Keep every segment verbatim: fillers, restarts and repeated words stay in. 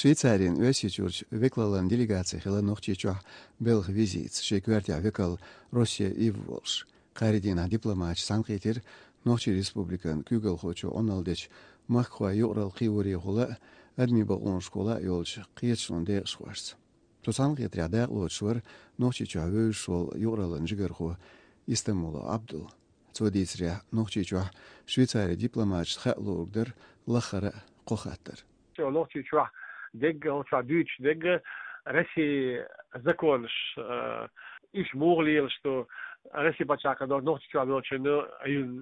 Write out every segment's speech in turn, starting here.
Швейцарин Оьрсийчуьрчу векалаллан делегаци хилла Нохчийчохь белхан визитца, шен коьртехь векал Россия Ив волуш. Кхаарин дийнахь дипломаташа цхьаьнакхийтира Нохчийн Республикан куьйгалхочо Ӏуналла дечу махкахойн юкъаралла кхиорехула а, адамийн бакъонашкахула а йолчу кхеташонан декъашхошца. Цу цхьаьнакхетарехь дакъалоцуш вара Нохчийчохь вевзаш волу юкъараллин жигархо Истамулов Ӏабдул. Цо дийцарехь, Нохчийчохь Швейцарин дипломаташна хаа луург дара лаххара а кхо хаттар. Цо Нохчийчохь дегга, хӀокху чохь дуьйцуш дегга Россин законаш, э, уьш муха лелаш ду, Россин пачхьалкхехь долчу Нохчийчохь долчунна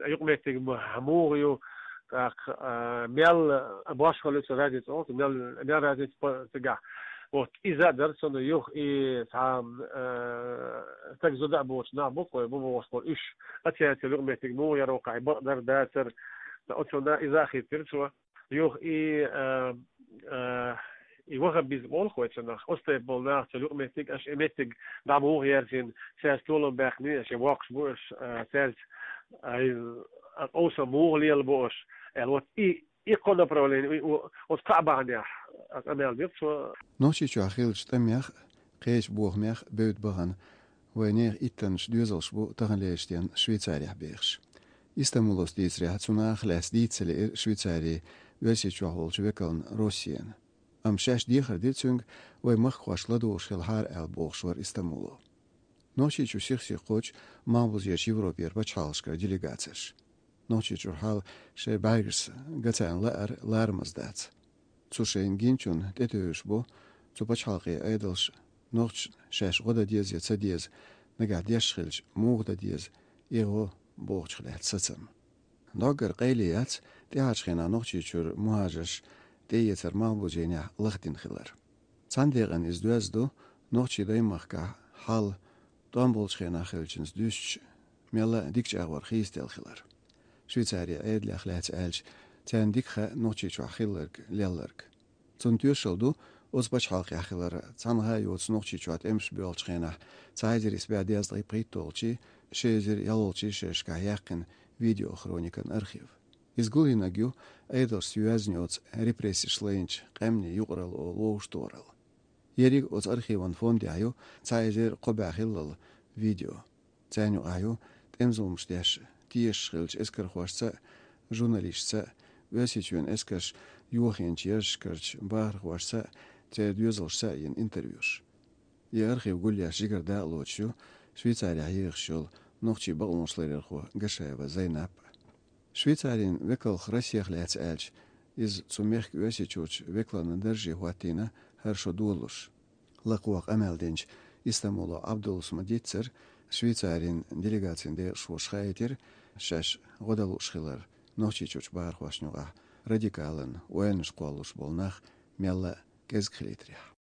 юкъаметтиг ма-, муха ю, тӀаккха, э, мел башхалла ю цу разница, мел, мел разница по-, цигахь. Вот, иза а дара цунна юха и цхьа, э, стаг зуда а боцу нах бу, кхой бу бохуш, уьш а цаьрца юкъаметтиг муха яр ву, кхай бакъдар дацара. Оцунна иза а хиттира цо. Юха и, э, э, и ваххабизм олу-кх вай цунах, оцу тайпа болу нах цу юкъаметтиг, аша и меттиг дӀа муха яьржина, цаьрца толам баьккхина, аша воккхуш бу, аша, э, цаьрца, э, къовсам муха лелабо аша, аьлла, вот и И кхо направление, и, о-, оцу кхаа бахьанехь, а, къамел дира цо. Нохчийчохь хиллачу тӀамех а, кхечу бохамех а бевдда бахана вайн нехан иттаннаш доьзалш бу таханлерчу дийнахь Швейцарехь бехаш. Истамуловс дийцарехь, цу нахах лаьцна дийца ца лиира Швейцарин Оьрсийчохь волчу векална Россина. Амма шаьш дехар дира цуьнга, вайн махкахошка ладугӀуш хилахьара аьлла, бохуш вара Истамулов. Нохчийчу сих-сиха кхочу Малхбузерчу Европера пачхьалкхашкара делегацеш. Нохчийчуьра хьал шайн бӀаьргашца ган царна лаар ларамаза дац. Цу шайна гиначунна тӀетевжаш бу цу пачхьалкхийн Ӏедалш нохчашна шаьш гӀо дан деза я ца деза нагахь деш хилча, муха дан деза и гӀо бохучух лаьцна сацам. Доггара къайле яц тӀаьхьарчу хенахь Нохчийчуьра мухӀажарш тӀеэцар Малхбузенехь лахдина хилар. Цхьана декъана иза доьзна ду нохчийн даймахкахь хьал тӀом болчу хенахь хиллачуьнца дуьстича, мелла а дикачу агӀор хийцаделла хилар. Швейцарин Ӏедалех лаьцна аьлча, царна дика хаьа Нохчийчохь хилларг, лелларг. Цунна тоьшалла ду оцу пачхьалкхехь хилар. Цхьанхьа а йоцу Нохчийчохь тӀемаш боьлхучу хенахь, цхьа эзар исс бӀе дезткъе пхийтталгӀачий, ши эзар ялхолгӀачий шерашкахь яьккхина видеохроникан архив. Иза гулйинарг ю Ӏедалшца йоьзна йоцу репрессеш лайначу къаьмнийн юкъаралла олу вовшахтохаралла. Ерриг оцу архиван фондехь ю цхьа эзар кхо бӀе хиллал видео. Царна юкъахь ю тӀеман зуламаш деш тешаш хиллачу эскархошца а, журналисташца а, Оьрсийчоьнан эскарш йохийначу яржашкарчу бахархошца а, церан доьзалшца а йина интервьюш. И архив гулъеш жигара дакъалоцуш ю Швейцарехь ехаш йолу нохчийн бакъонашларъярхо Гашаева Зайнап. Швейцарин векалх Россех лаьцна аьлча, иза цу мехкан Оьрсийчуьрчу векалан дарже хӀоттийна хӀара шо долалуш. Лакхахь къамел динчу Истамулов Ӏабдуллас ма-дийццара, Швейцарин делегацин декъашхоша хаийтира, шаьш гӀо дан лууш хилар Нохчийчуьрчу бахархошна юкъахь радикалан ойланаш кхоллалуш болу нах мелла а кӀезиг хилийтарехь.